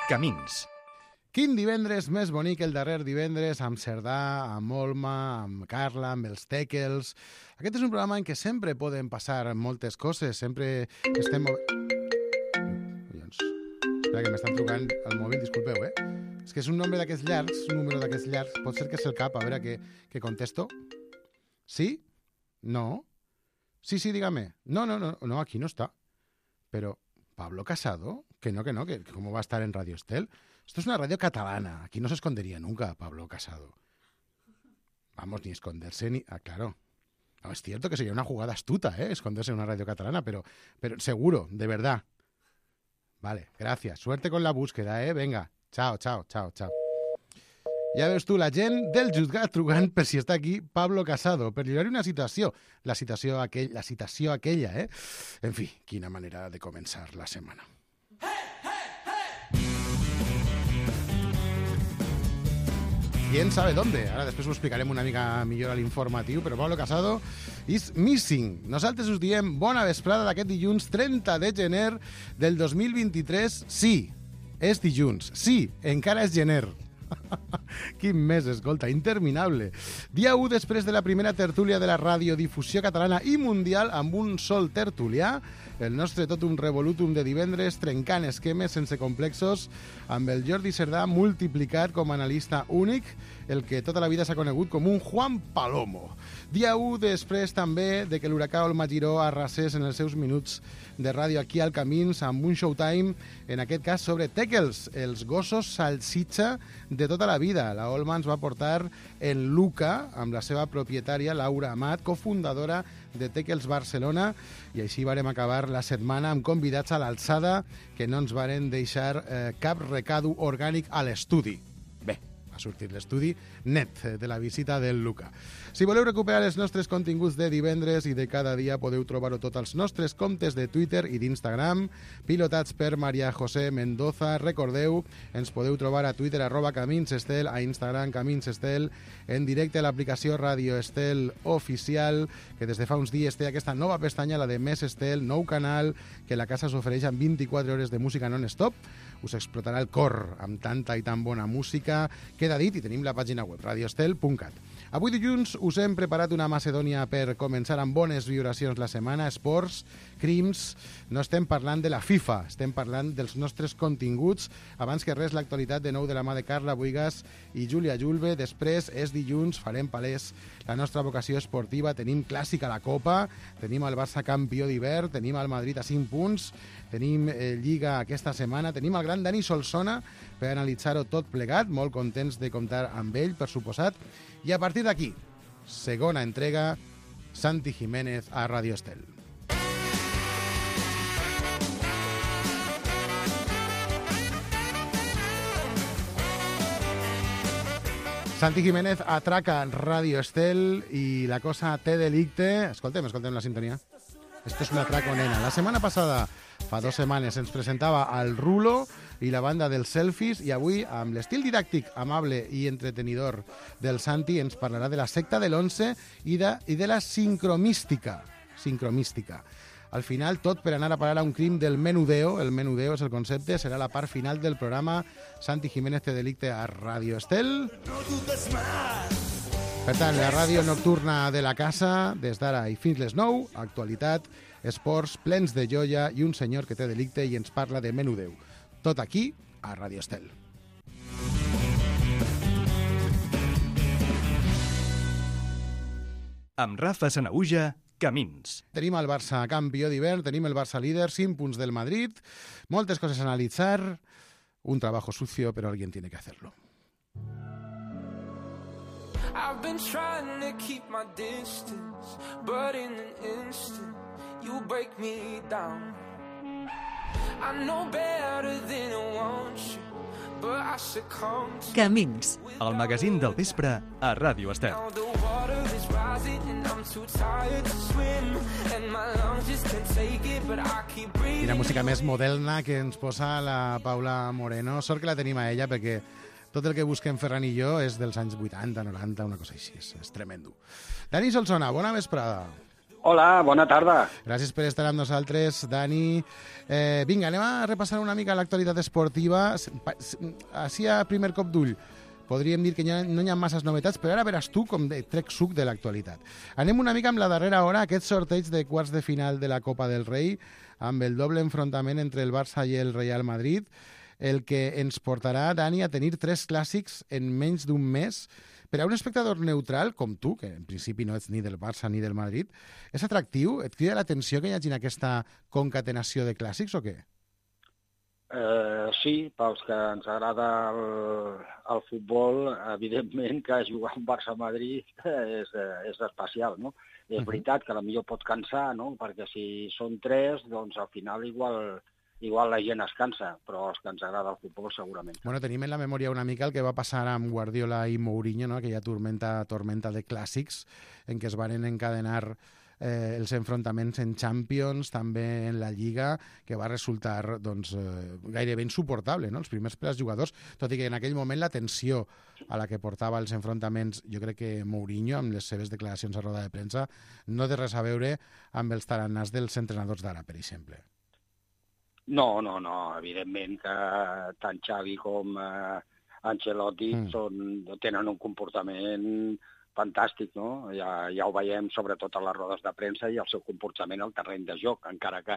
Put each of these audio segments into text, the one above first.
Camins. Quin divendres més bonic el darrer divendres amb Cerdà, amb Olma, amb Carla, amb els Teckels. Aquest és un programa en què sempre poden passar moltes coses, sempre estem... Collons. Espera, que m'estan trucant al mòbil, disculpeu, És que és un número d'aquests llargs, pot ser que és el cap, a veure què contesto. ¿Sí? ¿No? Sí, dígame. No, aquí no está. Pero, ¿Pablo Casado? Que no, que ¿cómo va a estar en Radio Estel? Esto es una radio catalana. Aquí no se escondería nunca Pablo Casado. Vamos, ni esconderse ni... Ah, claro. No, es cierto que sería una jugada astuta, esconderse en una radio catalana, pero seguro, de verdad. Vale, gracias. Suerte con la búsqueda, Venga. Chao. Ja veus tu, la gent del jutgat trucant per si està aquí Pablo Casado, per lliurar una citació. La citació aquella, En fi, quina manera de començar la setmana. ¿Quién sabe dónde? Ara després ho explicarem una mica millor a l'informatiu, però Pablo Casado is missing. Nosaltres us diem bona vesprada d'aquest dilluns 30 de gener del 2023. Sí, és dilluns. Sí, encara és gener. Quin mes, escolta, interminable. Dia 1 després de la primera tertúlia de la radiodifusió catalana i mundial amb un sol tertulià, el nostre totum revolutum de divendres, trencant esquemes sense complexos, amb el Jordi Cerdà multiplicat com a analista únic, el que tota la vida s'ha conegut com un Juan Palomo. Dia 1 després també de que l'huracà Olma Giró arrasés en els seus minuts de ràdio aquí al Camins amb un showtime, en aquest cas sobre Teckels, els gossos salsitxa de tota la vida. La Olma ens va portar en Luca, amb la seva propietària Laura Amat, cofundadora de Teckels Barcelona, i així vàrem acabar la setmana amb convidats a l'alçada que no ens varen deixar cap recado orgànic a l'estudi. Bé, ha sortit l'estudi net de la visita del Luca. Si voleu recuperar els nostres continguts de divendres i de cada dia, podeu trobar-ho tot als nostres comptes de Twitter i d'Instagram, pilotats per Maria José Mendoza. Recordeu, ens podeu trobar a Twitter @CaminsEstel, a Instagram CaminsEstel, en directe a l'aplicació Radio Estel Oficial, que des de fa uns dies té aquesta nova pestanya, la de Més Estel, nou canal, que la casa s'ofereix amb 24 hores de música non-stop. Us explotarà el cor amb tanta i tan bona música. Queda dit, i tenim la pàgina web radioestel.cat. Avui dilluns us hem preparat una Macedònia per començar amb bones vibracions la setmana, esports, crims. No estem parlant de la FIFA, estem parlant dels nostres continguts. Abans que res, l'actualitat de nou de la mà de Carla Buigas i Júlia Julve. Després és dilluns, farem palès la nostra vocació esportiva. Tenim clàssica a la Copa, tenim el Barça campió d'hivern, tenim el Madrid a 5 punts, tenim Lliga aquesta setmana, tenim el gran Dani Solsona per analitzar-ho tot plegat, molt contents de comptar amb ell, per suposat. I a partir d'aquí, segona entrega, Santi Jiménez a Radio Estel. Santi Jiménez atraca Radio Estel i la cosa té delicte. Escoltem la sintonia. Esto es un atraco, nena. La setmana passada, fa 2 setmanes, ens presentava al Rulo i la banda dels selfies, i avui, amb l'estil didàctic, amable i entretenidor del Santi, ens parlarà de la secta de l'11 i de la sincromística. Al final, tot per anar a parar a un crim del menudeo. El menudeo és el concepte, serà la part final del programa. Santi Jiménez té delicte a Radio Estel. Per tant, la ràdio nocturna de la casa, des d'ara i fins les 9, actualitat, esports plens de joia i un senyor que té delicte i ens parla de menudeu. Tot aquí, a Radio Estel. Amb Rafa Sanaüja, Camins. Tenim el Barça campió d'hivern, tenim el Barça líder, 5 punts del Madrid, moltes coses a analitzar, un trabajo sucio, pero alguien tiene que hacerlo. I've been trying to keep my distance, but in an instant, you break me down. I know better than I want you, but I succumb to... Camins, el magazín del vespre a Ràdio Estel. Now the water is rising and I'm too tired to swim, and my lungs just can't take it, but I keep breathing. Quina música més moderna que ens posa la Paula Moreno. Sort que la tenim a ella, perquè tot el que busquem Ferran i jo és dels anys 80, 90, una cosa així. És tremendo. Dani Solsona, bona vesprada. Hola, bona tarda. Gràcies per estar amb nosaltres, Dani. Vinga, anem a repassar una mica l'actualitat esportiva. Així a primer cop d'ull, podríem dir que no hi ha masses novetats, però ara veràs tu com trec suc de l'actualitat. Anem una mica amb la darrera hora, aquest sorteig de quarts de final de la Copa del Rei, amb el doble enfrontament entre el Barça i el Real Madrid, el que ens portarà, Dani, a tenir 3 clàssics en menys d'un mes. Per a un espectador neutral, com tu, que en principi no ets ni del Barça ni del Madrid, és atractiu? Et crida l'atenció que hi hagi aquesta concatenació de clàssics o què? Sí, pels que ens agrada el futbol, evidentment que jugar un Barça-Madrid és especial, no? És veritat que potser pot cansar, no? Perquè si són 3, doncs al final igual la gent es cansa, però els que ens agrada el futbol segurament. Bueno, tenim en la memòria una mica el que va passar amb Guardiola i Mourinho, no? Aquella tormenta de clàssics en què es van encadenar els enfrontaments en Champions, també en la Lliga, que va resultar doncs, gairebé insuportable, no? Els primers per als jugadors, tot i que en aquell moment la tensió a la que portava els enfrontaments, jo crec que Mourinho, amb les seves declaracions a roda de premsa, no té res a veure amb els taranars dels entrenadors d'ara, per exemple. No, evidentment que tant Xavi com Ancelotti tenen un comportament fantàstic, no? Ja ho veiem sobretot a les rodes de premsa i el seu comportament al terreny de joc, encara que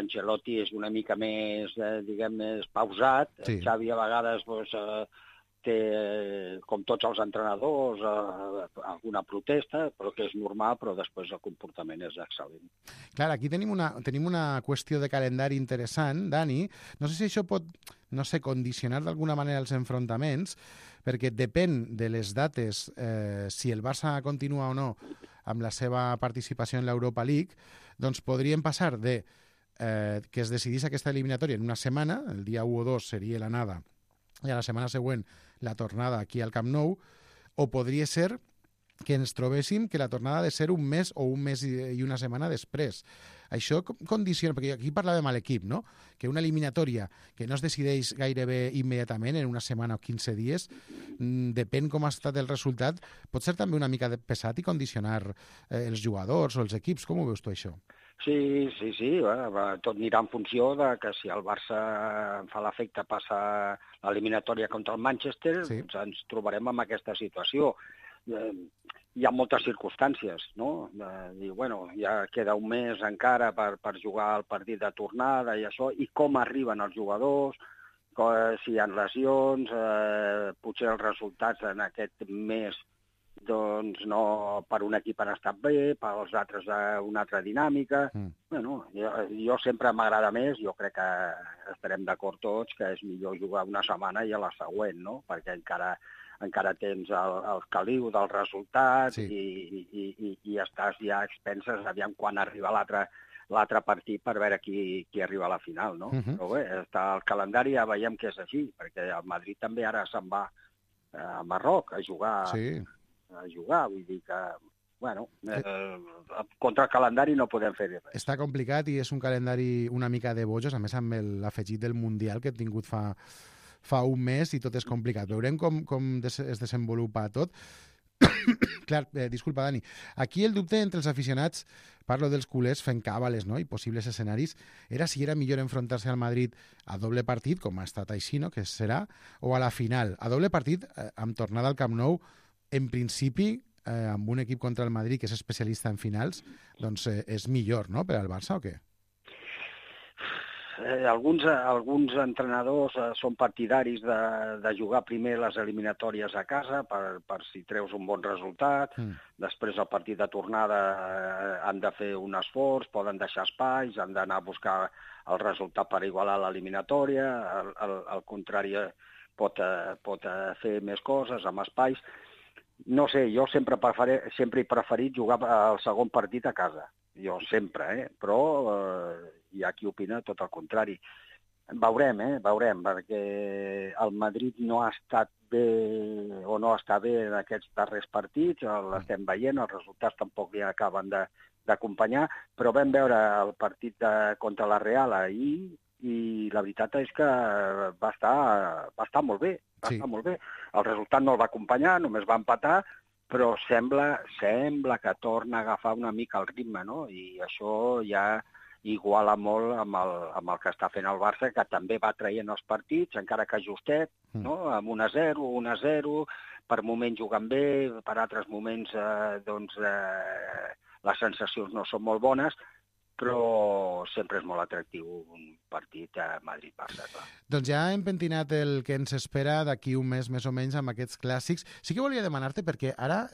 Ancelotti és una mica més, més pausat. Sí. Xavi a vegades té, com tots els entrenadors, alguna protesta, però que és normal, però després el comportament és excel·lent. Clar, aquí tenim una qüestió de calendari interessant, Dani. No sé si això pot, condicionar d'alguna manera els enfrontaments, perquè depèn de les dates, si el Barça continua o no amb la seva participació en l'Europa League, doncs podríem passar de que es decidís aquesta eliminatòria en una setmana, el dia 1 o 2 seria l'anada, i a la setmana següent la tornada aquí al Camp Nou, o podria ser que ens trobéssim que la tornada ha de ser un mes o un mes i una setmana després. Això condiciona, perquè aquí parlàvem a l'equip, no? Que una eliminatòria que no es decideix gairebé immediatament, en una setmana o 15 dies, depèn com ha estat el resultat, pot ser també una mica pesat i condicionar els jugadors o els equips. Com ho veus tu, això? Sí. Tot anirà en funció de que si el Barça fa l'efecte, passa l'eliminatòria contra el Manchester, doncs ens trobarem en aquesta situació. Hi ha moltes circumstàncies, no? Ja queda un mes encara per jugar el partit de tornada i això, i com arriben els jugadors, si hi ha lesions, potser els resultats en aquest mes doncs no, per un equip han estat bé, per als altres una altra dinàmica. Jo sempre m'agrada més, jo crec que estarem d'acord tots, que és millor jugar una setmana i a la següent, no? Perquè encara tens el caliu del resultat i estàs ja a expenses aviam quan arriba l'altre partit per veure qui arriba a la final, no? Però bé, el calendari ja veiem que és així, perquè el Madrid també ara se'n va a Marroc a jugar, vull dir que, contra el calendari no podem fer res. Està complicat i és un calendari una mica de bojos, a més amb l'afegit del Mundial que hem tingut fa un mes i tot és complicat. Veurem com es desenvolupa tot. Clar, disculpa, Dani. Aquí el dubte entre els aficionats, parlo dels culers fent càbales, no? I possibles escenaris, era si era millor enfrontar-se al Madrid a doble partit, com ha estat així, no? Que serà, o a la final. A doble partit, amb tornada al Camp Nou, en principi, amb un equip contra el Madrid que és especialista en finals, doncs és millor, no?, per al Barça, o què? Alguns entrenadors són partidaris de jugar primer les eliminatòries a casa per si treus un bon resultat. Després el partit de tornada han de fer un esforç, poden deixar espais, han d'anar a buscar el resultat per igualar l'eliminatòria. Al contrari, pot fer més coses amb espais. No sé, jo sempre he preferit jugar el segon partit a casa. Jo sempre, però hi ha qui opina tot el contrari. Veurem, perquè el Madrid no ha estat bé o no està bé en aquests darrers partits, l'estem veient, els resultats tampoc li acaben d'acompanyar, però vam veure el partit contra la Real ahir i la veritat és que va estar molt bé, estar molt bé. El resultat no el va acompanyar, només va empatar, però sembla que torna a agafar una mica el ritme, no? I això ja iguala molt amb el que està fent el Barça, que també va traient els partits, encara que justet, no? Amb 1-0, 1-0, per moments jugant bé, per altres moments les sensacions no són molt bones, però sempre és molt atractiu un partit a Madrid-Barça, clar. Doncs ja hem pentinat el que ens espera d'aquí un mes, més o menys, amb aquests clàssics. Sí que volia demanar-te, perquè ara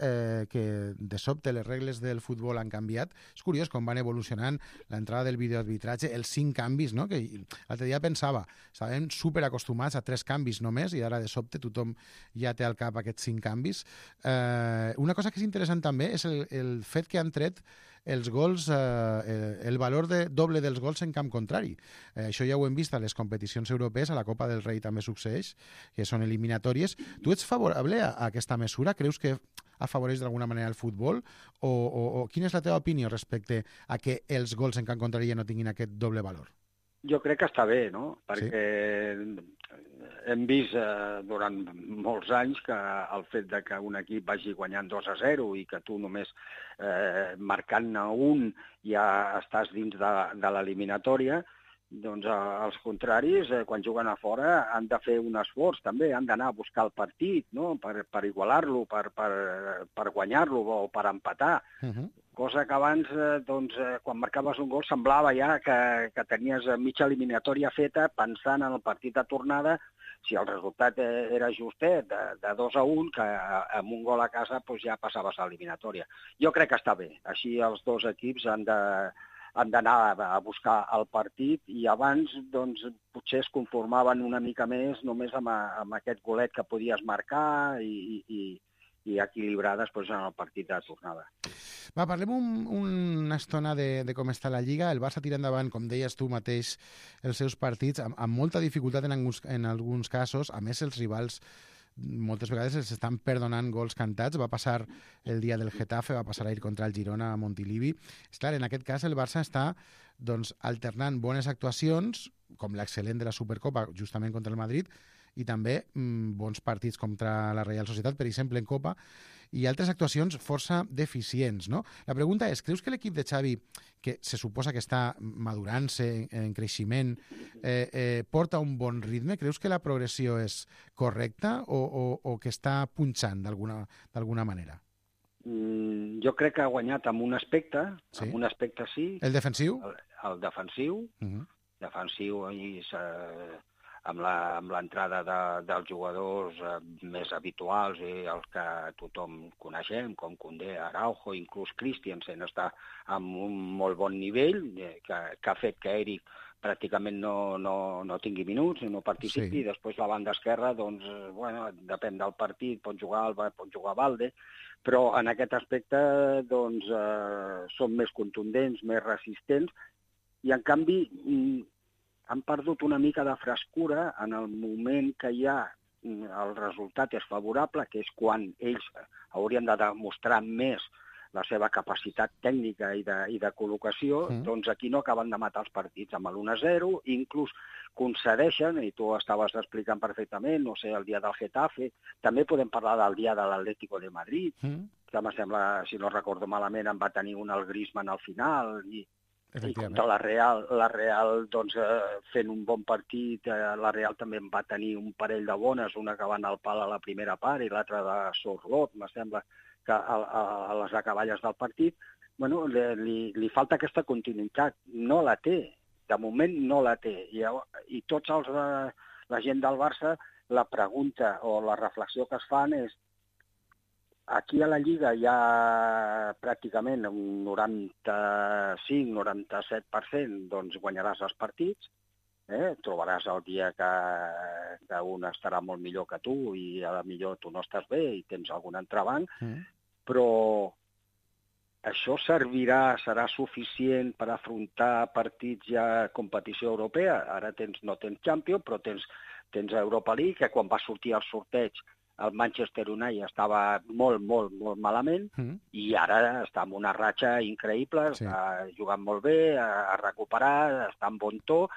que de sobte les regles del futbol han canviat, és curiós com van evolucionant l'entrada del videoarbitratge, els 5 canvis, no? Que l'altre dia pensava, estàvem superacostumats a 3 canvis només, i ara de sobte tothom ja té al cap aquests 5 canvis. Una cosa que és interessant també és el fet que han tret els gols, el valor doble dels gols en camp contrari. Això ja ho hem vist a les competicions europees, a la Copa del Rei també succeeix, que són eliminatòries. Tu ets favorable a aquesta mesura? Creus que afavoreix d'alguna manera el futbol? O quina és la teva opinió respecte a que els gols en camp contrari ja no tinguin aquest doble valor? Jo crec que està bé, no? Perquè hem vist durant molts anys que el fet de que un equip vagi guanyant 2-0 i que tu només marcant-ne un ja estàs dins de l'eliminatòria, doncs els contraris, quan juguen a fora, han de fer un esforç també, han d'anar a buscar el partit, no? Per igualar-lo, per guanyar-lo o per empatar. Cosa que abans, quan marcaves un gol, semblava ja que tenies mitja eliminatòria feta pensant en el partit de tornada, si el resultat era justet, de 2-1, que amb un gol a casa ja passaves a l'eliminatòria. Jo crec que està bé. Així els dos equips han d'anar a buscar el partit i abans potser es conformaven una mica més només amb aquest golet que podies marcar i equilibrar després en el partit de tornada. Va, parlem una estona de com està la Lliga. El Barça tira endavant, com deies tu mateix, els seus partits amb molta dificultat en alguns casos. A més, els rivals moltes vegades els estan perdonant gols cantats. Va passar el dia del Getafe, va passar ahir contra el Girona a Montilivi. És clar, en aquest cas el Barça està alternant bones actuacions, com l'excel·lent de la Supercopa, justament contra el Madrid, i també bons partits contra la Reial Societat, per exemple, en Copa, i altres actuacions força deficients, no? La pregunta és, creus que l'equip de Xavi, que se suposa que està madurant-se en creixement, porta un bon ritme? Creus que la progressió és correcta o que està punxant d'alguna manera? Jo crec que ha guanyat amb un aspecte, sí. Amb un aspecte sí. El defensiu? El defensiu. Defensiu amb l'entrada dels jugadors més habituals i els que tothom coneixem, com Koundé, Araujo, inclús Christensen està amb un molt bon nivell, que ha fet que Eric pràcticament no tingui minuts, no participi, sí. I després la banda esquerra, depèn del partit, pot jugar Alba, pot jugar Valde, però en aquest aspecte són més contundents, més resistents, i en canvi han perdut una mica de frescura en el moment que el resultat és favorable, que és quan ells haurien de demostrar més la seva capacitat tècnica i de col·locació, doncs aquí no acaben de matar els partits amb l'1-0, inclús concedeixen, i tu estaves explicant perfectament, no sé, el dia del Getafe, també podem parlar del dia de l'Atlético de Madrid, que em sembla, si no recordo malament, en va tenir un al Griezmann al final, i contra la Real fent un bon partit, la Real també en va tenir un parell de bones, una que va anar al pal a la primera part i l'altra de Sorlot, me sembla, que a les acaballes del partit. Li falta aquesta continuïtat, no la té, de moment no la té, i tots la gent del Barça, la pregunta o la reflexió que es fan és: aquí a la Lliga hi ha pràcticament un 95-97%, guanyaràs els partits, trobaràs el dia que un estarà molt millor que tu i a la millor tu no estàs bé i tens algun entrebanc, però això serà suficient per afrontar partits ja competició europea? Ara no tens Champions, però tens Europa League, que quan va sortir el sorteig el Manchester United estava molt, molt, molt malament i ara està en una ratxa increïble, està jugant molt bé, ha recuperat, està en bon to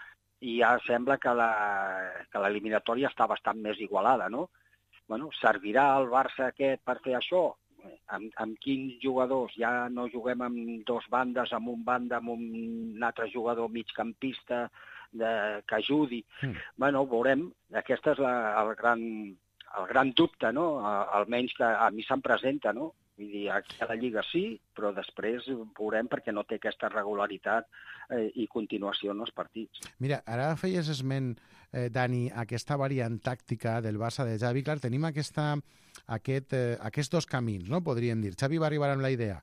i ja sembla que l'eliminatòria està bastant més igualada, no? Servirà el Barça aquest per fer això? amb quins jugadors? Ja no juguem amb dos bandes, amb un banda, amb un altre jugador migcampista que ajudi. Bueno, veurem. Aquest és el gran dubte, no? Almenys que a mi se'm presenta, no? Vull dir, aquí a la Lliga sí, però després veurem perquè no té aquesta regularitat i continuació en els partits. Mira, ara feies esment, Dani, aquesta variant tàctica del Barça de Xavi. Clar, tenim aquests dos camins, no? Podríem dir. Xavi va arribar amb la idea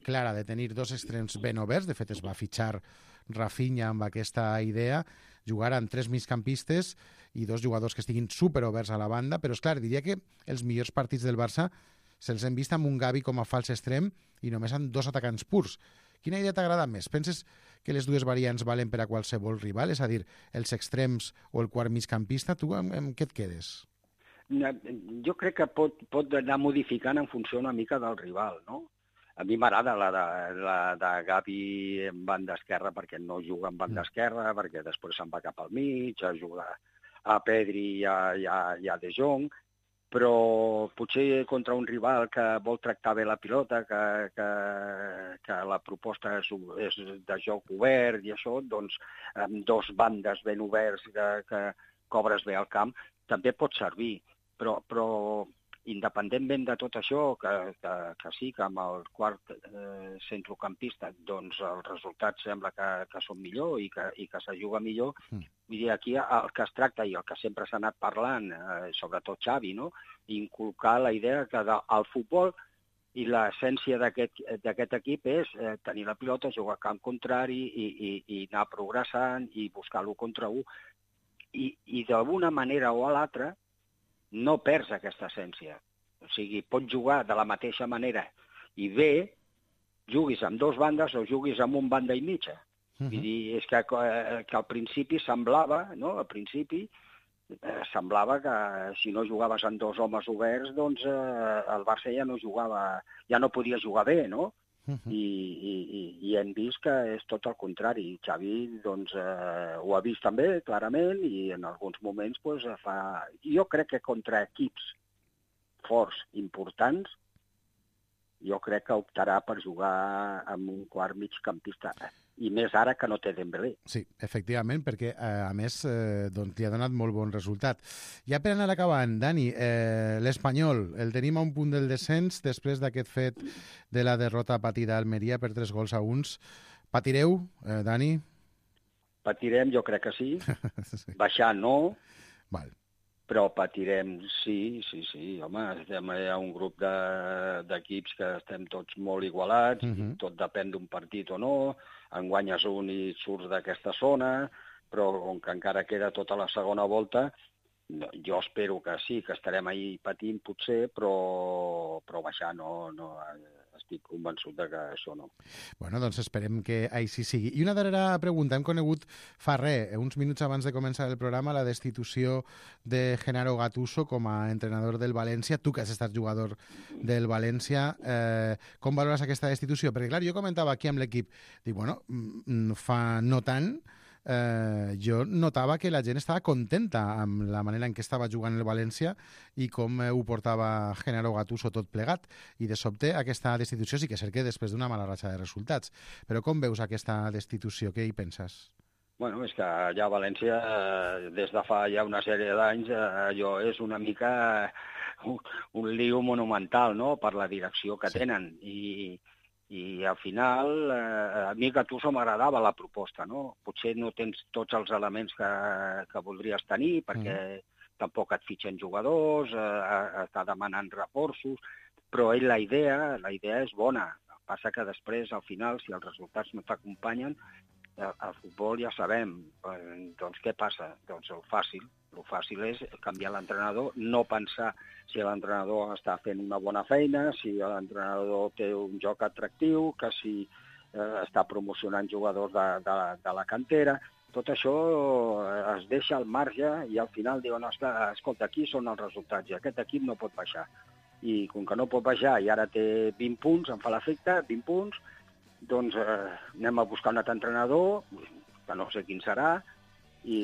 clara de tenir dos extrems ben oberts. De fet, es va fitxar Rafinha amb aquesta idea, jugar amb 3 migcampistes i 2 jugadors que estiguin superoberts a la banda, però és clar, diria que els millors partits del Barça se'ls hem vist amb un Gavi com a fals extrem i només amb 2 atacants purs. Quina idea t'agrada més? Penses que les dues variants valen per a qualsevol rival? És a dir, els extrems o el quart migcampista? Tu amb què et quedes? Jo crec que pot anar modificant en funció una mica del rival, no? A mi m'agrada la de Gavi en banda esquerra perquè no juga en banda esquerra, perquè després se'n va cap al mig, a jugar a Pedri i a De Jong, però potser contra un rival que vol tractar bé la pilota, que la proposta és de joc obert i això, doncs amb 2 bandes ben oberts que cobres bé el camp, també pot servir. Però independentment de tot això, que sí, que amb el quart centrocampista doncs els resultats sembla que són millor i que se juga millor. Vull dir, aquí el que es tracta i el que sempre s'ha anat parlant, sobretot Xavi, no? Inculcar la idea que el futbol i l'essència d'aquest equip és tenir la pilota, jugar a camp contrari i anar progressant i buscar l'1 contra 1. I d'alguna manera o a l'altra no perds aquesta essència. O sigui, pots jugar de la mateixa manera i bé, juguis amb 2 bandes o juguis amb un banda i mitja. Vull dir, és que al principi semblava, no? Al principi semblava que si no jugaves amb 2 homes oberts, doncs el Barça ja no podia jugar bé, no? I hem vist que és tot el contrari. Xavi doncs, ho ha vist també, clarament, i en alguns moments doncs, fa... Jo crec que contra equips forts, importants, jo crec que optarà per jugar amb un quart migcampista. I més ara que no té Dembélé. Sí, efectivament, perquè a més doncs, li ha donat molt bon resultat. Ja per anar acabant, Dani, l'Espanyol, el tenim a un punt del descens després d'aquest fet de la derrota patida a Almeria per 3-1. Patireu, Dani? Patirem, jo crec que sí. Baixar no. Val. Però patirem, sí. Home, estem a un grup d'equips que estem tots molt igualats, tot depèn d'un partit o no, en guanyes un i surts d'aquesta zona, però com que encara queda tota la segona volta, jo espero que sí, que estarem ahí patint potser, però baixar no, estic convençut de que això no. Bueno, doncs esperem que així sigui. I una darrera pregunta. Hem conegut fa uns minuts abans de començar el programa, la destitució de Gennaro Gattuso com a entrenador del València. Tu, que has estat jugador del València, com valores aquesta destitució? Perquè, clar, jo comentava aquí amb l'equip, dic, bueno, fa no tant, jo notava que la gent estava contenta amb la manera en què estava jugant el València i com ho portava Gennaro Gattuso tot plegat, i de sobte aquesta destitució sí que és cert que després d'una mala ratxa de resultats. Però com veus aquesta destitució? Què hi penses? Bueno, és que allà a València, des de fa ja una sèrie d'anys, allò és una mica un lío monumental, no?, per la direcció que tenen. I al final, a mi Gattuso m'agradava la proposta, no? Potser no tens tots els elements que voldries tenir, perquè tampoc et fitxen jugadors, està demanant reforços, però la idea és bona. Passa que després, al final, si els resultats no t'acompanyen, el futbol ja sabem. Doncs què passa? Doncs el fàcil és canviar l'entrenador, no pensar si l'entrenador està fent una bona feina, si l'entrenador té un joc atractiu, que si està promocionant jugadors de la cantera. Tot això es deixa al marge i al final diuen, escolta, aquí són els resultats i aquest equip no pot baixar. I com que no pot baixar i ara té 20 punts, em fa l'efecte, 20 punts, doncs anem a buscar un altre entrenador, que no sé quin serà, i...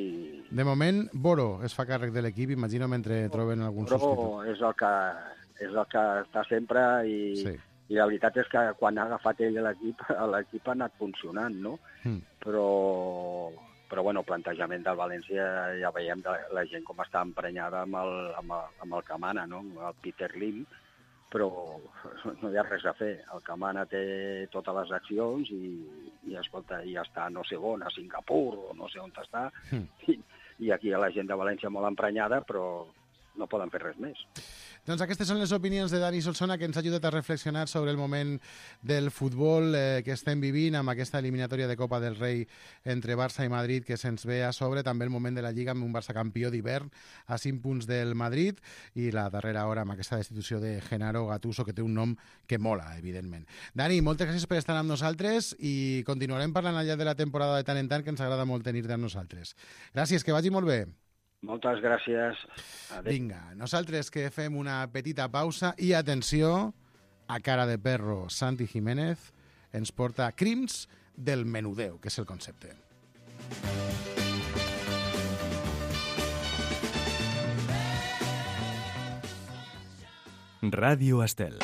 De moment, Boro es fa càrrec de l'equip, imagino, mentre troben algun substitut. Boro és el que és el que està sempre i la veritat és que quan ha agafat ell l'equip ha anat funcionant, no? Però bueno, el plantejament del València ja veiem la gent com està emprenyada amb el que mana, no? El Peter Lim, però no hi ha res a fer. El que mana té totes les accions i escolta, ja està no sé on, a Singapur o no sé on està, i aquí hi ha la gent de València molt emprenyada, però no poden fer res més. Doncs aquestes són les opinions de Dani Solsona, que ens ha ajudat a reflexionar sobre el moment del futbol que estem vivint amb aquesta eliminatòria de Copa del Rei entre Barça i Madrid que se'ns ve a sobre, també el moment de la Lliga amb un Barça campió d'hivern a 5 punts del Madrid i la darrera hora amb aquesta destitució de Genaro Gattuso, que té un nom que mola, evidentment. Dani, moltes gràcies per estar amb nosaltres i continuarem parlant al llarg de la temporada de tant en tant, que ens agrada molt tenir-te amb nosaltres. Gràcies, que vagi molt bé. Moltes gràcies. Adéu. Vinga, nosaltres que fem una petita pausa i atenció, a cara de perro, Santi Jiménez ens porta Crims del menudeu, que és el concepte. Ràdio Estel.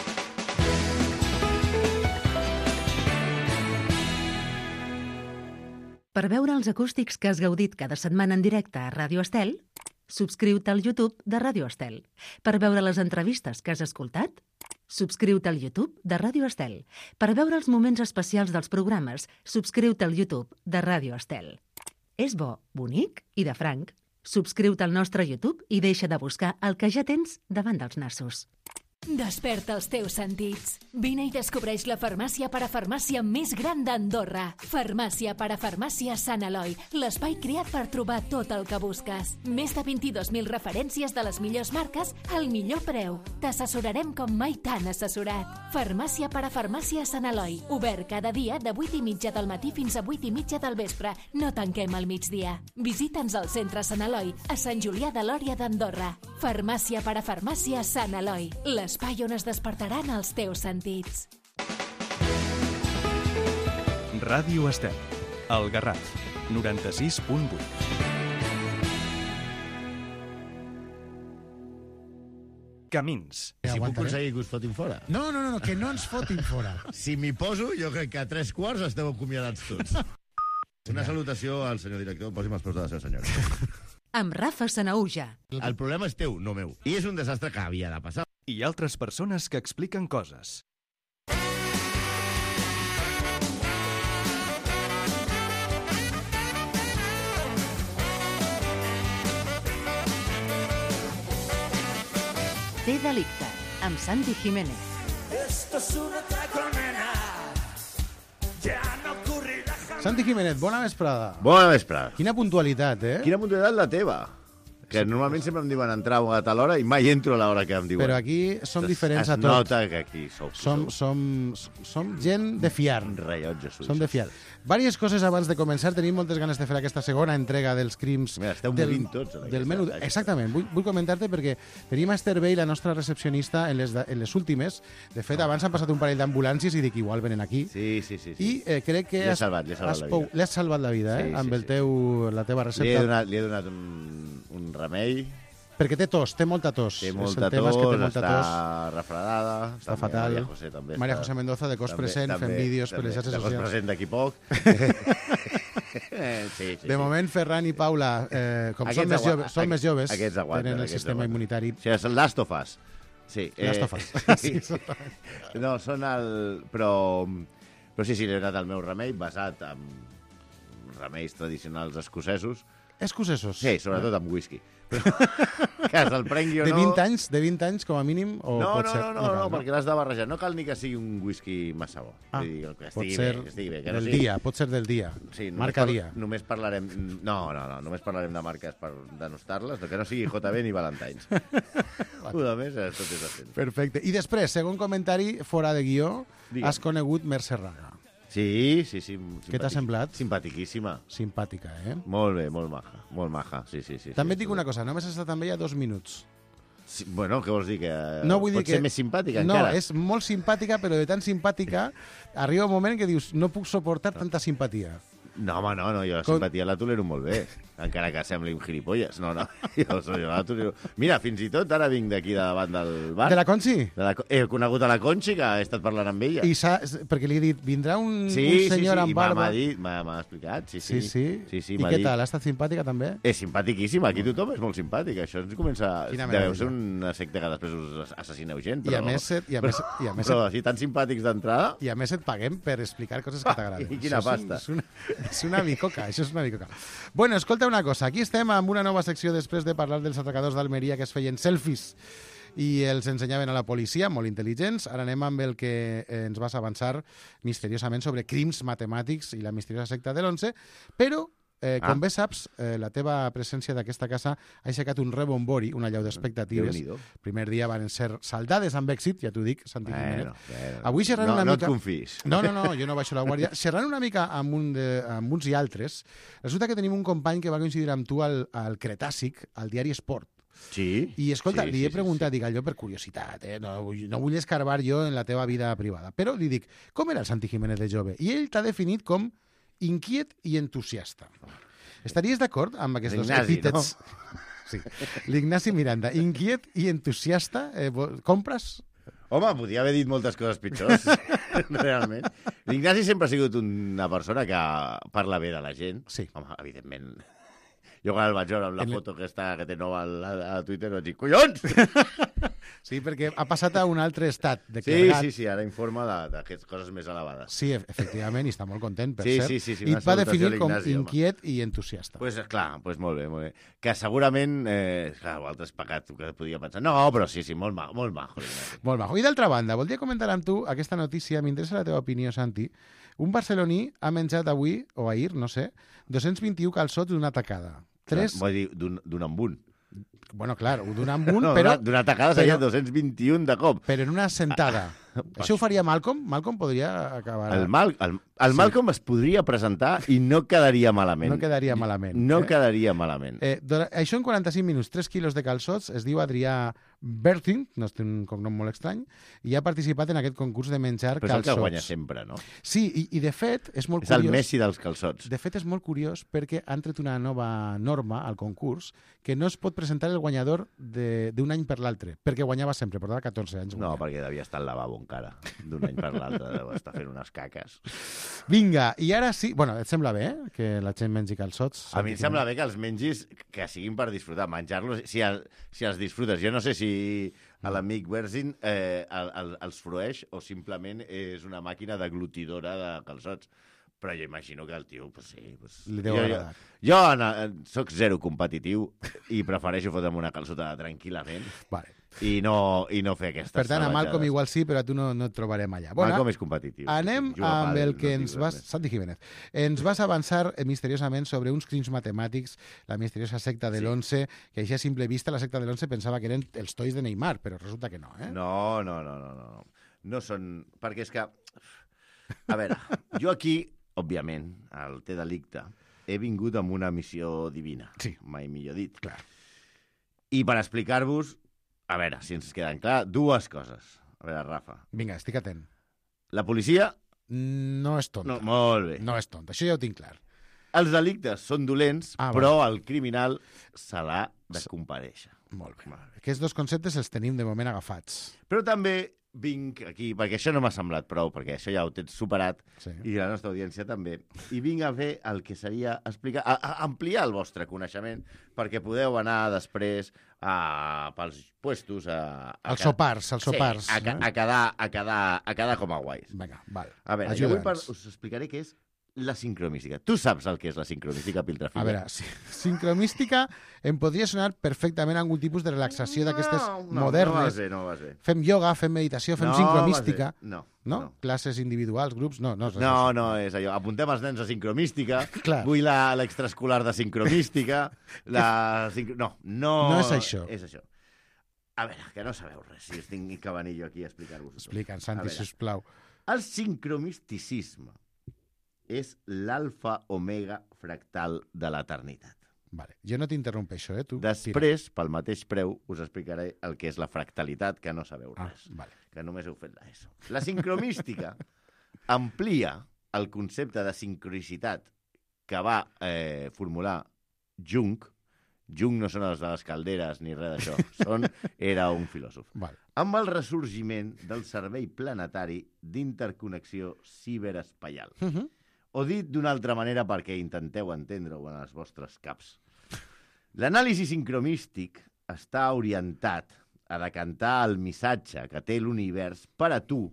Per veure els acústics que has gaudit cada setmana en directe a Ràdio Estel, subscriu-te al YouTube de Ràdio Estel. Per veure les entrevistes que has escoltat, subscriu-te al YouTube de Ràdio Estel. Per veure els moments especials dels programes, subscriu-te al YouTube de Ràdio Estel. És bo, bonic i de franc. Subscriu-te al nostre YouTube i deixa de buscar el que ja tens davant dels nassos. Desperta els teus sentits. Vine i descobreix la farmàcia parafarmàcia més gran d'Andorra. Farmàcia parafarmàcia Sant Eloi, l'espai creat per trobar tot el que busques. Més de 22.000 referències de les millors marques al millor preu. T'assessorarem com mai t'han assessorat. Farmàcia parafarmàcia Sant Eloi, obert cada dia de 8:30 del matí fins a 8:30 del vespre. No tanquem al migdia. Visita'ns al centre Sant Eloi, a Sant Julià de Lòria d'Andorra. Farmàcia parafarmàcia Sant Eloi, l'espai on es despertaran els teus sentits. Ràdio Estel. El Garraf. 96.8. Camins. Si puc aconseguir que us fotin fora. No, que no ens fotin fora. Si m'hi poso, jo crec que a 3/4 esteu acomiadats tots. Una salutació al senyor director. Posi'm els peus de la seva senyora. Amb Rafa Sanauja. El problema és teu, no meu. I és un desastre que havia de passar. I altres persones que expliquen coses. Té delicte, amb Santi Jiménez. Esto es una taconera. Ya no ocurrirá jamás. Santi Jiménez, bona vesprada. Bona vesprada. Quina puntualitat, eh? Quina puntualitat la teva? Que normalment sempre em diuen entrar a tal hora i mai entro a l'hora que em diuen. Però aquí som diferents a tot. Es nota que aquí sou. Som gent de fiar. Rellotge suïssos. Som de fiar. Vàries coses abans de començar. Tenim moltes ganes de fer aquesta segona entrega dels crims. Mira, esteu morint tots. Del menú. Exactament. Vull comentar-te perquè tenim a Esther Bey, la nostra recepcionista, en les últimes. De fet, abans han passat un parell d'ambulàncies i dic, igual venen aquí. Sí. I crec que Li has salvat la vida. Li has salvat la vida, amb la teva recepta. Li he donat un remei. Perquè té tos, té molta tos. Té molta tos, està refredada. Està fatal. Maria José també. Maria José Mendoza, de cos present, fent vídeos per les xarxes socials. De cos present d'aquí poc. Sí. De moment, Ferran i Paula, com són més joves, tenen el sistema immunitari. O sigui, és Last of Us. Sí. Last of Us. Sí, no, són el... Però sí, li he donat el meu remei, basat en remeis tradicionals escocesos. Escocesos? Sí, sobretot amb whisky. Que se'l prengui o no... De 20 anys, com a mínim? O no, pot ser... no, perquè l'has de barrejar. No cal ni que sigui un whisky massa bo. Que estigui bé. Que del dia, pot ser del dia. Sí, marca dia. Només parlarem... No, només parlarem de marques per denostar-les, que no sigui JB ni Valentines. A més, tot és decent. Perfecte. I després, segon comentari, fora de guió, has conegut Mercè Raga. Sí. Què t'ha semblat? Simpatiquíssima. Simpàtica, eh? Molt bé, molt maja. Sí. També et dic una cosa, només has estat amb ella 2 minuts. Sí, bueno, què vols dir? Que no, vull dir pot ser més simpàtica encara? No, és molt simpàtica, però de tan simpàtica arriba un moment que dius, no puc suportar tanta simpatia. No, home, no, jo la simpatia la tolero molt bé, encara que sembli un gilipolles. No, jo la tolero... Mira, fins i tot ara vinc d'aquí davant del bar. De la Conchi? He conegut a la Conchi, que he estat parlant amb ella. Perquè li he dit, vindrà un senyor amb barba... Sí, m'ha explicat, sí. I què tal? Ha estat simpàtica també? És simpaticíssima, aquí tothom és molt simpàtic. Això ens comença... Deveu ser una secta que després us assassineu gent, però... Però així tan simpàtics d'entrada... I a més et paguem per explicar coses que t'agraden. I quina pasta. És una bicoca, això és una bicoca. Bueno, escolta una cosa, aquí estem amb una nova secció després de parlar dels atracadors d'Almeria que es feien selfies i els ensenyaven a la policia, molt intel·ligents. Ara anem amb el que ens vas avançar misteriosament sobre crims matemàtics i la misteriosa secta de l'11, però com bé saps, la teva presència d'aquesta casa ha aixecat un rebombori, una allau d'expectatives. Primer dia van ser saldades amb èxit, ja t'ho dic, Santi Jiménez. Avui xerrant una mica... No et confis. No, jo no baixo la guàrdia. Xerrant una mica amb uns i altres, resulta que tenim un company que va coincidir amb tu al Cretàssic, al diari Esport. Sí. I escolta, li he preguntat, dic, allò per curiositat, no vull escarbar jo en la teva vida privada, però li dic, com era el Santi Jiménez de jove? I ell t'ha definit com inquiet i entusiasta. Estaries d'acord amb aquests dos epítets? No? Sí. L'Ignasi Miranda, inquiet i entusiasta. Compres? Home, podia haver dit moltes coses pitjors, realment. L'Ignasi sempre ha sigut una persona que parla bé de la gent. Sí. Home, evidentment... Jo quan el vaig veure amb la foto que té nova a Twitter vaig dir, collons! Sí, perquè ha passat a un altre estat. Sí, ara informa d'aquestes coses més elevades. Sí, efectivament, i està molt content, per cert. Sí, I et va definir com inquiet i entusiasta. Pues clar, molt bé. Que segurament, altres pecats que podia pensar. No, però sí, molt maco. Molt maco. I d'altra banda, voldria comentar amb tu aquesta notícia, m'interessa la teva opinió, Santi. Un barceloní ha menjat avui, o ahir, no sé, 221 calçots d'una tacada. Vull dir, d'un amb un. Bueno, clar, d'un amb un, però... D'una tacada seria 221 de cop. Però en una sentada. Això ho faria Malcolm? Malcolm podria acabar... El Malcolm es podria presentar i no quedaria malament. No quedaria malament. Quedaria malament. Això en 45 minuts, 3 quilos de calçots, es diu Adrià Bertin, no és un cognom molt estrany, i ha participat en aquest concurs de menjar calçots. Però és el que guanya sempre, no? Sí, i de fet és molt curiós... És el Messi dels calçots. De fet és molt curiós perquè han tret una nova norma al concurs que no es pot presentar el guanyador d'un any per l'altre, perquè guanyava sempre, portava 14 anys. No, perquè devia estar al lavabo encara, d'un any per l'altre, deu estar fent unes caques. Vinga, i ara sí... Bueno, et sembla bé que la gent mengi calçots? A mi em sembla bé que els mengis, que siguin per disfrutar, menjar-los, si els disfrutes. Jo no sé si a l'amic Berzin els frueix o simplement és una màquina deglutidora de calçots. Però jo imagino que el tio, pues sí... Li deu agradar. Jo soc zero competitiu i prefereixo fotre'm una calçotada tranquil·lament. Vale. I no fer aquestes per tant, a Malcolm igual sí, però a tu no et trobarem allà. Malcolm és competitiu. Anem amb el que ens vas... Santi Jiménez. Ens vas avançar misteriosament sobre uns crims matemàtics, la misteriosa secta de l'11, que així a simple vista la secta de l'11 pensava que eren els tois de Neymar, però resulta que no, eh? No. No són... Perquè és que... A veure, jo aquí, òbviament, al Té Delicte, he vingut amb una missió divina. Sí. Mai millor dit. Clar. I per explicar-vos, a veure, si ens queden clar, dues coses. A veure, Rafa. Vinga, estic atent. La policia... No és tonta. No, molt bé. No és tonta, això ja ho tinc clar. Els delictes són dolents, però el criminal se l'ha de comparèixer. Molt bé. Aquests dos conceptes els tenim de moment agafats. Però també vinc aquí, perquè això no m'ha semblat prou, perquè això ja ho tens superat, sí. I la nostra audiència també, i vinc a fer el que seria explicar, ampliar el vostre coneixement, perquè podeu anar després pels puestos als sopars. Sí, a quedar com a guais. Vinga, val. A veure, jo avui us explicaré què és la sincromística. Tu saps el que és la sincromística, Piltrafilla? A veure, sincromística em podria sonar perfectament a algun tipus de relaxació d'aquestes modernes. No vas bé. Fem ioga, fem meditació, fem sincromística. No. Classes individuals, grups, no. No, és allò. Apuntem els nens a sincromística. Vull l'extraescolar de sincromística. No és això. És això. A veure, que no sabeu res, si estic que venir jo aquí a explicar-vos. Explica'ns, Santi, sisplau. El sincromisticisme és l'alfa-omega fractal de l'eternitat. Vale. Jo no t'interrompeixo, tu. Després, pel mateix preu, us explicaré el que és la fractalitat, que no sabeu res. Vale. Que només heu fet l'ESO. La sincromística amplia el concepte de sincronicitat que va formular Jung. Jung no són els de les calderes ni res d'això. Era un filòsof. Val. Amb el ressorgiment del servei planetari d'interconnexió ciberespaial. O dit d'una altra manera perquè intenteu entendre-ho en els vostres caps. L'anàlisi sincromístic està orientat a decantar el missatge que té l'univers per a tu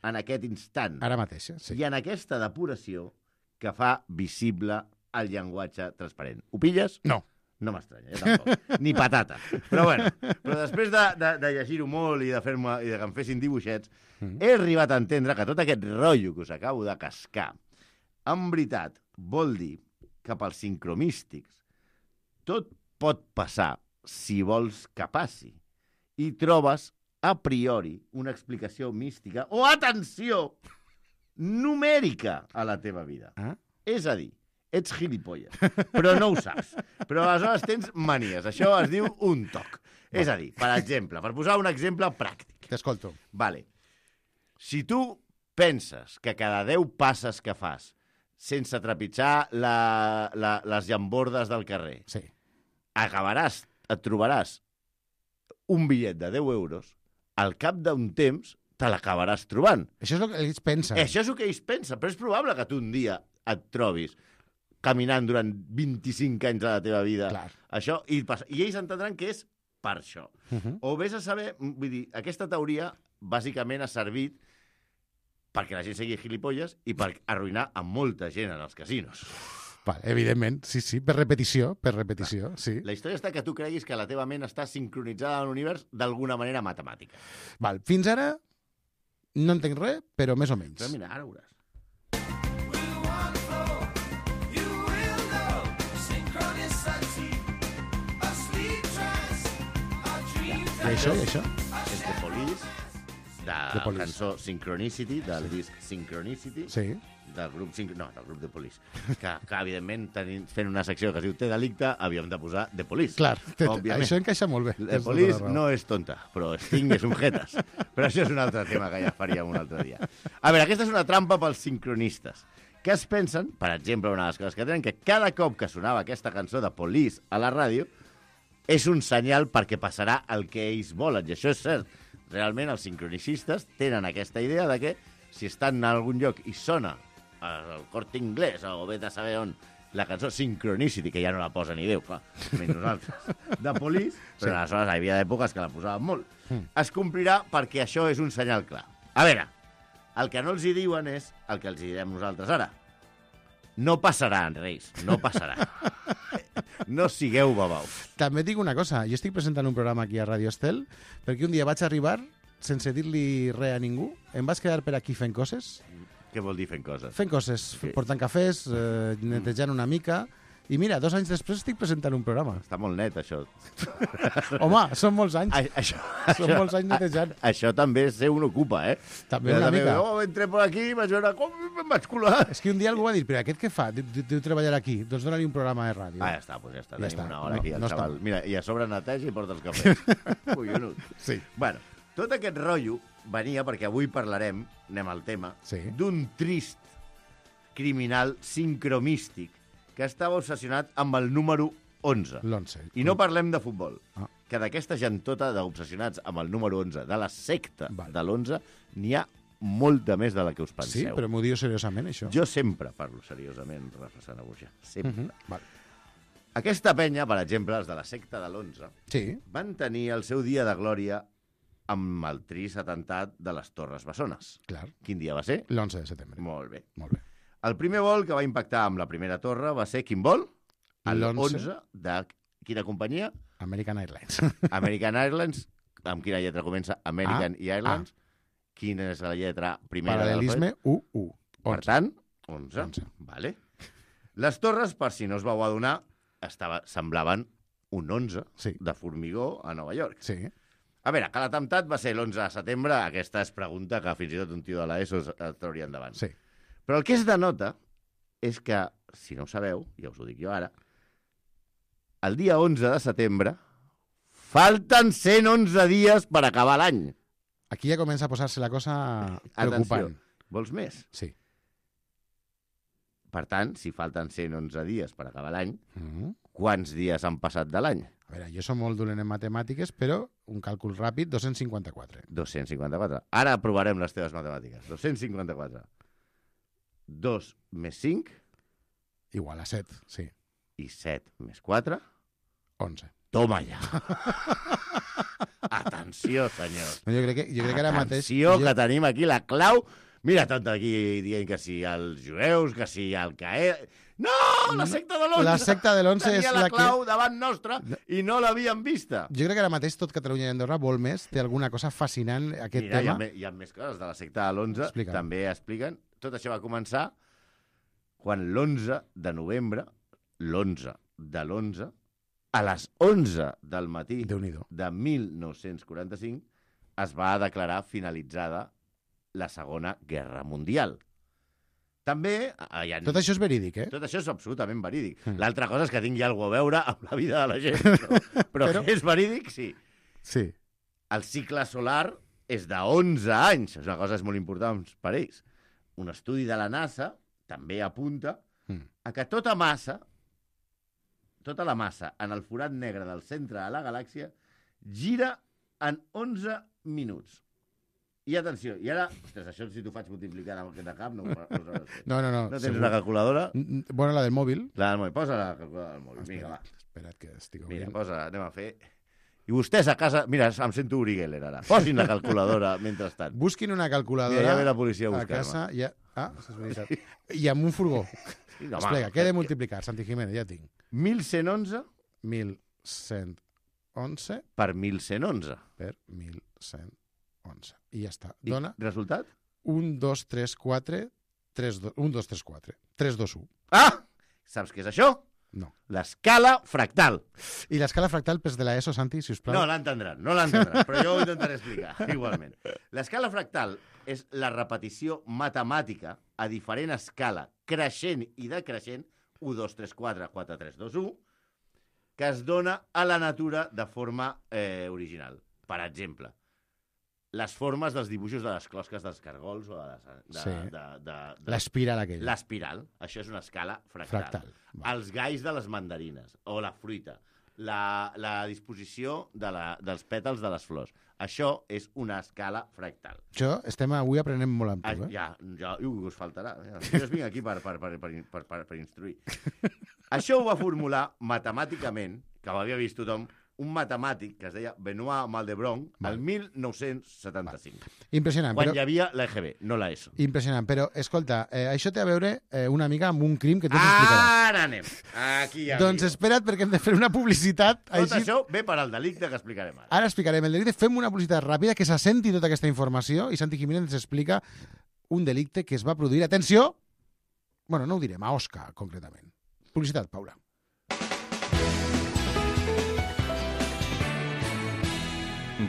en aquest instant. Ara mateix, sí. I en aquesta depuració que fa visible el llenguatge transparent. Ho pilles? No. No m'estranya, tampoc. Ni patata. Però bueno, després de llegir-ho molt i de que em fessin dibuixets, he arribat a entendre que tot aquest rotllo que us acabo de cascar, en veritat, vol dir que pels sincromístics tot pot passar si vols que passi. I trobes, a priori, una explicació mística o, atenció, numèrica a la teva vida. És a dir, ets gilipolles, però no ho saps. Però aleshores tens manies. Això es diu un toc. És a dir, per exemple, per posar un exemple pràctic. T'escolto. Vale. Si tu penses que cada 10 passes que fas sense trepitjar les llambordes del carrer, sí, et trobaràs un bitllet de 10 euros, al cap d'un temps te l'acabaràs trobant. Això és el que ells pensen. Això és el que ells pensen, però és probable que tu un dia et trobis caminant durant 25 anys de la teva vida. Clar. Això, i ells entendran que és per això. O vés a saber, vull dir, aquesta teoria bàsicament ha servit perquè la gent sigui gilipolles i per arruïnar a molta gent en els casinos. Vale, evidentment, sí, per repetició, sí. La història està que tu creguis que la teva ment està sincronitzada amb l'univers d'alguna manera matemàtica. Val, fins ara no entenc res, però més o menys. Però mira, ara ho veuràs. I això? És The Police, de la cançó Synchronicity, del disc Synchronicity, sí, del grup The Police, que evidentment, fent una secció que es diu Té delicte, havíem de posar The Police. Clar, això encaixa molt bé. The Police no és tonta, però Sting és un jetas. Però això és un altre tema que ja faríem un altre dia. A veure, aquesta és una trampa pels sincronistes, que es pensen, per exemple, una de les coses que tenen, que cada cop que sonava aquesta cançó de Police a la ràdio, és un senyal perquè passarà el que ells volen, i això és cert. Realment, els sincronicistes tenen aquesta idea de que si estan en algun lloc i sona el Corte Inglés o bé de saber on la cançó Synchronicity, que ja no la posa ni Déu, clar, menys nosaltres, de Police, però aleshores hi havia èpoques que la posaven molt. Es complirà perquè això és un senyal clar. A veure, el que no els hi diuen és el que els hi direm nosaltres ara. No passarà, Reis, no passarà. No sigueu babaus. També et dic una cosa, jo estic presentant un programa aquí a Radio Estel perquè un dia vaig arribar sense dir-li res a ningú, em vaig quedar per aquí fent coses. Què vol dir fent coses? Fent coses, portant cafès, netejant una mica. I mira, 2 anys després estic presentant un programa. Està molt net, això. Home, són molts anys. Són molts anys netejant. Això també ser un ocupa, eh? També una mica. Entré per aquí i vaig veure com em vaig colar. És que un dia algú va dir, però aquest què fa? Deu treballar aquí. Doncs dona-li un programa de ràdio. Ja està, doncs ja està. Tenim una hora aquí, el xaval. Mira, i a sobre neteja i porta els cafès. Collonut. Sí. Bueno, tot aquest rotllo venia perquè avui parlarem, anem al tema, d'un trist criminal sincromístic que estava obsessionat amb el número 11. L'11. I no parlem de futbol, que d'aquesta gentota d'obsessionats amb el número 11, de la secta de l'11, n'hi ha molta més de la que us penseu. Sí, però m'ho diu seriosament, això. Jo sempre parlo seriosament, Rafa Sanabuja. Sempre. Aquesta penya, per exemple, els de la secta de l'11, van tenir el seu dia de glòria amb el trist atemptat de les Torres Bessones. Clar. Quin dia va ser? L'11 de setembre. Molt bé. Molt bé. El primer vol que va impactar amb la primera torre va ser quin vol? L'11 de quina companyia? American Airlines. American Airlines. Amb quina lletra comença? American i Airlines. Quina és la lletra primera? Paral·lelisme, U. Per tant, 11. Vale. Les torres, per si no us vau adonar, semblaven un 11 de formigó a Nova York. Sí. A veure, que l'atemptat va ser l'11 de setembre, aquesta és pregunta que fins i tot un tio de l'ESO es trauria endavant. Sí. Però el que es denota és que, si no ho sabeu, ja us ho dic jo ara, el dia 11 de setembre falten 111 dies per acabar l'any. Aquí ja comença a posar-se la cosa preocupant. Atenció, vols més? Sí. Per tant, si falten 111 dies per acabar l'any, quants dies han passat de l'any? A veure, jo som molt dolent en matemàtiques, però un càlcul ràpid, 254. 254. Ara provarem les teves matemàtiques. 254. 2 més 5... Igual a 7, sí. I 7 més 4... 11. Toma ja. Atenció, senyors. No, jo crec que ara mateix... Atenció, que tenim aquí la clau. Mira tot aquí dient que sí als jueus, que sí al CAE... No, la secta de l'11. La secta de l'11 és tenia la la clau davant nostra i no l'havíem vista. Jo crec que ara mateix tot Catalunya i Andorra vol més, té alguna cosa fascinant aquest Mira, tema. hi ha més coses de la secta de l'11. Explica'm. També expliquen. Tot això va començar quan l'11 de novembre, l'11 de l'11, a les 11 del matí Déu-n'hi-do. de 1945, es va declarar finalitzada la Segona Guerra Mundial. També... Tot això és verídic, eh? Tot això és absolutament verídic. L'altra cosa és que tingui alguna a veure amb la vida de la gent. No? Però que és verídic, sí. Sí. El cicle solar és de 11 anys. És una cosa molt important per ells. Un estudi de la NASA també apunta a que tota la massa en el forat negre del centre de la galàxia gira en 11 minuts. I atenció, i ara... Ostres, això si t'ho faig multiplicar amb el de cap, no sabràs fer. No. No tens segur. una calculadora? Bueno, la del mòbil. La del mòbil. Posa la calculadora del mòbil. Vinga, va. Espera't que estic Mira, obrint. posa, anem a fer... I vostès a casa... Mira, em sento Uri Geller ara. Posin la calculadora mentrestant. Busquin una calculadora Mira, ja ve la policia a a buscar-me. casa. Ja... Ah, és veritat. I amb un furgó. Sí, home, Explica, què he de multiplicar, Santi Jiménez? Ja tinc. 1111 1111 per 1111. per 1111. I ja està. Dona I resultat? 1, 2, 3, 4, 3, 2, 1, 2, 3, 4. 3, 2, 1. Ah! Saps què és això? No. L'escala fractal. I l'escala fractal pels de l'ESO, Santi, si us plau. No l'entendran, però jo ho intentaré explicar, igualment. L'escala fractal és la repetició matemàtica a diferent escala, creixent i decreixent, 1, 2, 3, 4, 4, 3, 2, 1, que es dona a la natura de forma original. Per exemple, les formes dels dibuixos de les closques dels cargols o l'espiral aquella. L'espiral, això és una escala fractal. Els galls de les mandarines, o la fruita, la disposició dels pètals de les flors. Això és una escala fractal. Això estem avui aprenent molt amb tu, Ja us faltarà. Jo vinc aquí per instruir. Això ho va formular matemàticament, que ho havia vist tothom, un matemàtic que es deia Benoit Maldebrun el 1975. Impressionant. Quan hi havia l'EGB, no la ESO. Impressionant, però, escolta, això té a veure una mica amb un crim que tu ens explicaràs. Ara anem. Aquí ja Doncs espera't, perquè hem de fer una publicitat. Tot això ve per al delicte que explicarem ara. Ara explicarem el delicte. Fem una publicitat ràpida que s'assenti tota aquesta informació i Santi Jiménez ens explica un delicte que es va produir. Atenció! Bueno, no ho direm, a Osca, concretament. Publicitat, Paula.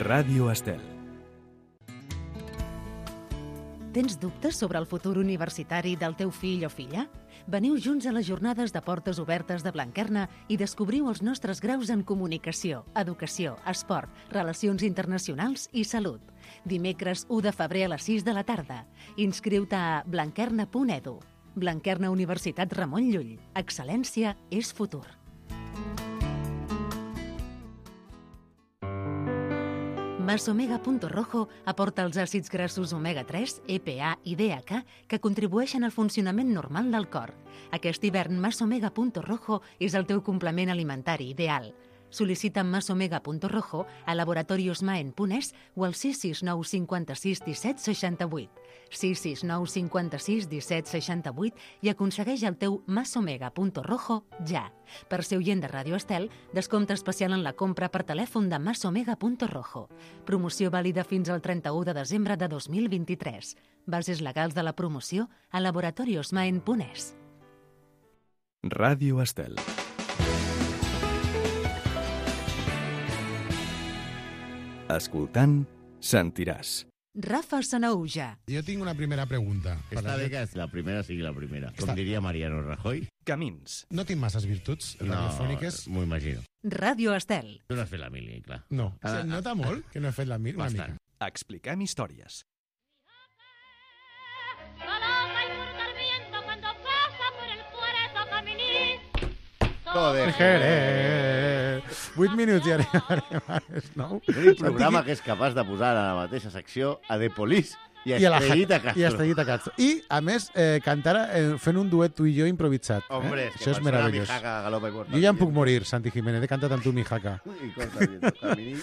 Ràdio Estel. Tens dubtes sobre el futur universitari del teu fill o filla? Veniu junts a les jornades de portes obertes de Blanquerna i descobriu els nostres graus en comunicació, educació, esport, relacions internacionals i salut. Dimecres 1 de febrer a les 6 de la tarda. Inscriu-te a blanquerna.edu. Blanquerna Universitat Ramon Llull. Excel·lència és futur. Masomega.rojo aporta els àcids grassos omega-3, EPA i DHA que contribueixen al funcionament normal del cor. Aquest hivern Masomega.rojo és el teu complement alimentari ideal. Sol·licita Masomega.rojo a Laboratorios Maen.es o al 669 56 17 68. 669 56 17 68 i aconsegueix el teu Masomega.rojo ja. Per ser oient de Ràdio Estel, descompte especial en la compra per telèfon de Masomega.rojo. Promoció vàlida fins al 31 de desembre de 2023. Bases legals de la promoció a Laboratorios Maen.es. Ràdio Estel. Escoltant, sentiràs. Rafa Sanauja. Jo tinc una primera pregunta. Està bé que la primera sigui la primera. Com diria Mariano Rajoy. Camins. No tinc masses virtuts radiofòniques. M'ho imagino. Ràdio Estel. Tu no has fet la mili, clar. No. Se nota molt que no he fet la mili una Bastant. mica. Expliquem històries. Solo va a importar viento cuando pasa por el Todo de Jerez. 8 minuts i arribarem a les 9. L'únic programa que és capaç de posar a la mateixa secció a The Police i a Estrellita Castro. I a Estrellita Castro. I, a més, cantar fent un duet tu i jo improvisat. Hombre, és que això és meravellós. Mijaca, galopa i porta. Jo ja em puc morir, Santi Jiménez, he cantat amb tu, Mijaca. I corta viento, camini.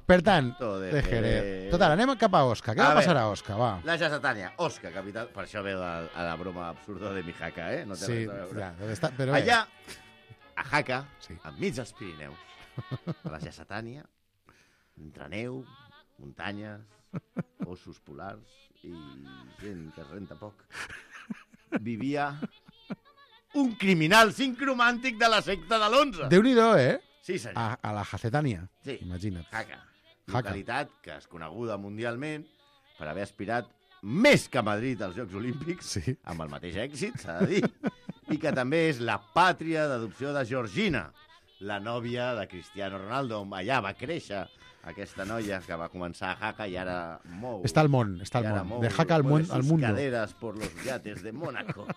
Per tant, Todo de de Jerez. Jerez. Total, anem cap a Osca. Què va passar a Osca? Va. La Satania, Osca, capital. Per això ve a la broma absurda de Mijaca, eh? No té Sí, res a veure. ja, deve estar, però... Allà, a Jaca, Sí. enmig dels Pirineus, a la Satània, entre neu, muntanyes, ossos polars i gent que es renta poc, vivia un criminal sincromàntic de la secta de l'11. Déu-n'hi-do, eh? Sí, senyor. A la Jacetània. Sí. Imagina't. Jaca. Jaca. Localitat que és coneguda mundialment per haver aspirat més que Madrid als Jocs Olímpics, Sí. amb el mateix èxit, s'ha de dir, i que també és la pàtria d'adopció de Georgina, la nòvia de Cristiano Ronaldo. Allà va créixer aquesta noia que va començar a Jaca i ara mou. Està al món, està y al ahora món. mou De Jaca al mueve món, al sus mundo. caderas por los yates de Mónaco.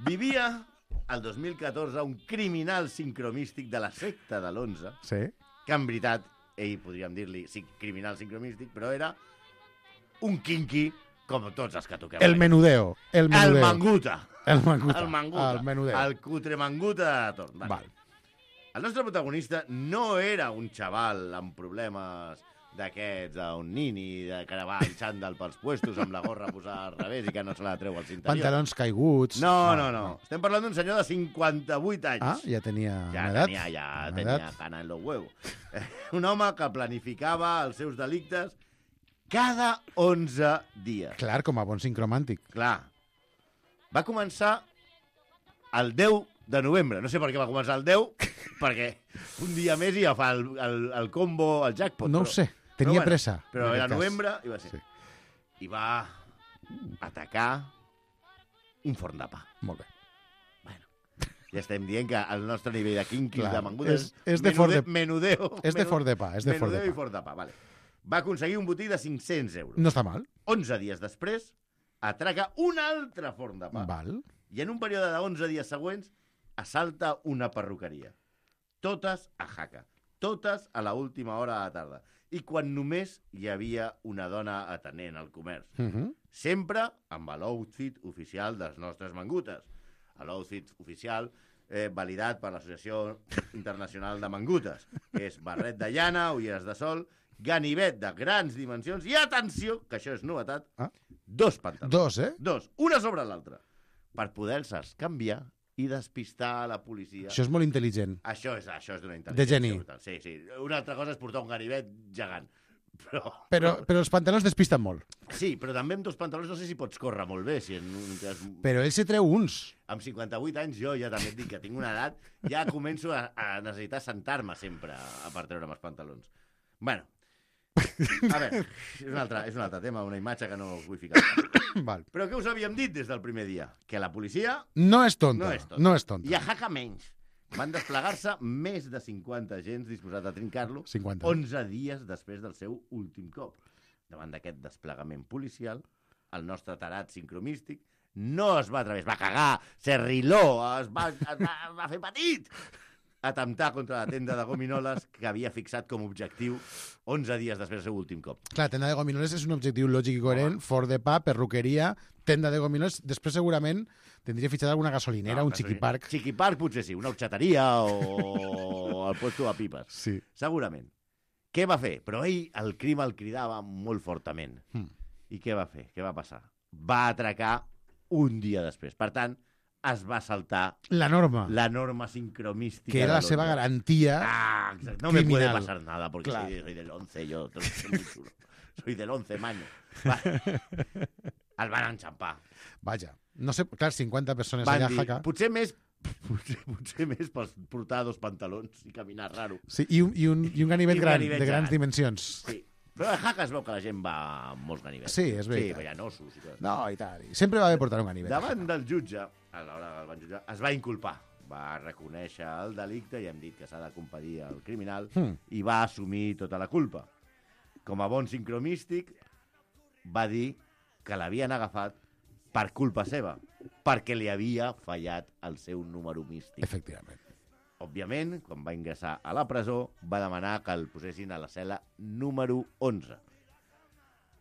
Vivia al 2014 un criminal sincromístic de la secta de l'11, Sí. que en veritat, ell podríem dir-li criminal sincromístic, però era un quinqui com tots els que toquem. El menudeo. El menudeo. El manguta. El manguta. El manguta. El menudeo. El cutre manguta de torn. Val. El nostre protagonista no era un xaval amb problemes d'aquests, un nini de caravà i xandall pels puestos amb la gorra posada al revés i que no se la treu als interiors. Pantalons caiguts. No. Estem parlant d'un senyor de 58 anys. Ah, ja tenia Ja una edat. tenia cana en los huevos. Un home que planificava els seus delictes cada 11 dies. Clar, com a bon sincromàntic. Clar. Va començar el 10 de novembre. No sé per què va començar el 10, perquè un dia més i ja fa el combo, el jackpot. No ho sé, tenia pressa. Però en era aquest cas. novembre i va ser. Sí. I va atacar un forn de pa. Molt bé. Ja estem dient que el nostre nivell de quinquis, Clar, de mangudes, és de forn de- menudeo. És de forn de pa, és de forn de Menudeo i pa. forn de pa, vale. Va aconseguir un botí de 500 euros. No està mal. 11 dies després, atraca un altre forn de pa. Val. I en un període de 11 dies següents, assalta una perruqueria. Totes a Jaca. Totes a la última hora de la tarda. I quan només hi havia una dona atenent al comerç. Sempre amb l'outfit oficial dels nostres mangutes. L'outfit oficial validat per l'Associació Internacional de Mangutes, que és barret de llana, ulleres de sol, ganivet de grans dimensions i, atenció, que això és novetat, dos pantalons. Dos, eh? Dos, una sobre l'altra, per poder-se'ls canviar i despistar a la policia. Això és molt intel·ligent. Això és d'una intel·ligència. De geni. brutal. Sí. Una altra cosa és portar un ganivet gegant. Però els pantalons despisten molt. Sí, però també amb dos pantalons no sé si pots córrer molt bé. Si en un cas... Però ell se treu uns. Amb 58 anys jo ja també et dic que tinc una edat, ja començo a necessitar sentar-me sempre per treure'm els pantalons. Bueno, a veure, és un altre tema, una imatge que no us vull ficar. Val. Però què us havíem dit des del primer dia? Que la policia No és tonta. no és tonta. No és tonta. I a Jaca menys. Van desplegar-se més de 50 agents disposats a trincar-lo 50. 11 dies després del seu últim cop. Davant d'aquest desplegament policial, el nostre tarat sincromístic no es va atrevir, es va cagar, s'arriló, es va fer petit, atemptar contra la tenda de gominoles que havia fixat com a objectiu 11 dies després del seu últim cop. Clar, tenda de gominoles és un objectiu lògic i coherent, forn de pa, perruqueria, tenda de gominoles, després segurament tindria fitxat alguna gasolinera, un xiquiparc. Xiquiparc potser sí, una horxateria o el puesto de pipes. Sí. Segurament. Què va fer? Però ell, el crim el cridava molt fortament. I què va fer? Què va passar? Va atracar un dia després. Per tant, es va saltar La norma, la norma sincromística. que era la seva garantia. Exacte. No me puede criminal. pasar nada porque Claro. soy del 11, yo soy muy chulo. Soy del 11, maño. Vale. El van enxampar. Vaja, no sé, clar, 50 persones Van allà a dir, Jaca. potser més per portar dos pantalons i caminar raro. Sí, i un ganivet I un gran, ganivet de grans gegant. dimensions. Sí. Però a Jaca es veu que la gent va amb molts ganivets. Sí, és Sí, veritat. però hi ha ossos i tot. No, i tal. I sempre va haver portar un ganivet. Davant del jutge, a l'hora que el van jutjar, es va inculpar. Va reconèixer el delicte i hem dit que s'ha de compadir el criminal i va assumir tota la culpa. Com a bon sincromístic, va dir que l'havien agafat per culpa seva, perquè li havia fallat el seu número místic. Efectivament. òbviament, quan va ingressar a la presó, va demanar que el posessin a la cel·la número 11.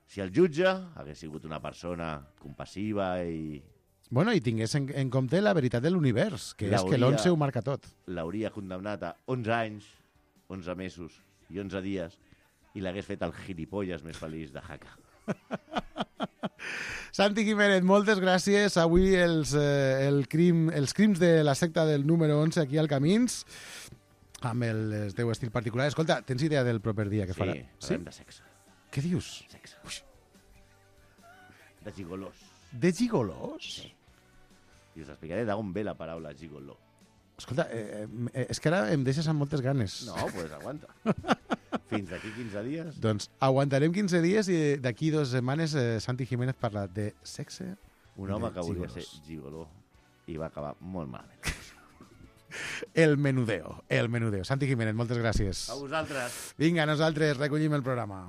Si el jutge hagués sigut una persona compassiva i... Bueno, i tingués en compte la veritat de l'univers, que és que l'11 ho marca tot. L'hauria condemnat a 11 anys, 11 mesos i 11 dies i l'hagués fet el gilipolles més feliç de Jaca. Santi Jiménez, moltes gràcies. Avui els crims de la secta del número 11 aquí al Camins, amb el teu estil particular. Escolta, tens idea del proper dia que farà? Sí, parlem de sexe. Què dius? Sexe. De gigolós. De gigolós? Sí. I us explicaré d'on ve la paraula gigoló. Escolta, és que ara em deixes amb moltes ganes. No, pues aguanta. Fins d'aquí 15 dies. Doncs aguantarem 15 dies i d'aquí 2 setmanes Santi Jiménez parla de sexe. Un home que volia ser gigoló i va acabar molt malament. El menudeo. Santi Jiménez, moltes gràcies. A vosaltres. Vinga, nosaltres recollim el programa.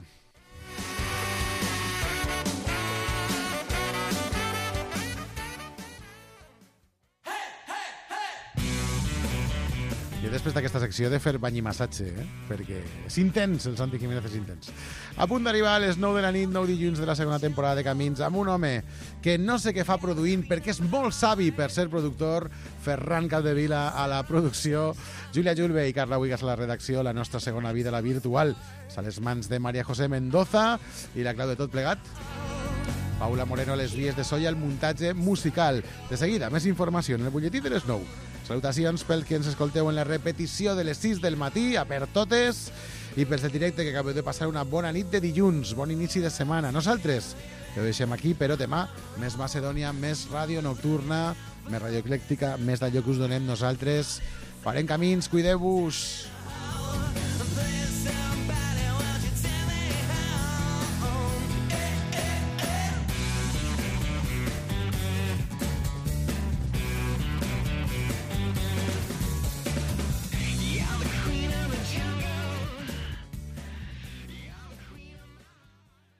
I després d'aquesta secció he de fer banyimassatge, perquè és intens, el Santi Jiménez és intens. A punt d'arribar a les 9 de la nit, 9 dilluns de la segona temporada de Camins, amb un home que no sé què fa produint, perquè és molt savi per ser productor, Ferran Capdevila a la producció, Júlia Julve i Carla Huigas a la redacció, la nostra segona vida, la virtual, és a les mans de María José Mendoza i la clau de tot plegat. Paula Moreno a les vies de so i el muntatge musical. De seguida, més informació en el butlletí de les 9. Salutacions pels que ens escolteu en la repetició de les 6 del matí, a per totes, i pels de directe que acabeu de passar una bona nit de dilluns, bon inici de setmana. Nosaltres que ho deixem aquí, però demà més Macedònia, més ràdio nocturna, més ràdio eclèctica, més d'allò que us donem nosaltres. Farem camins, cuideu-vos!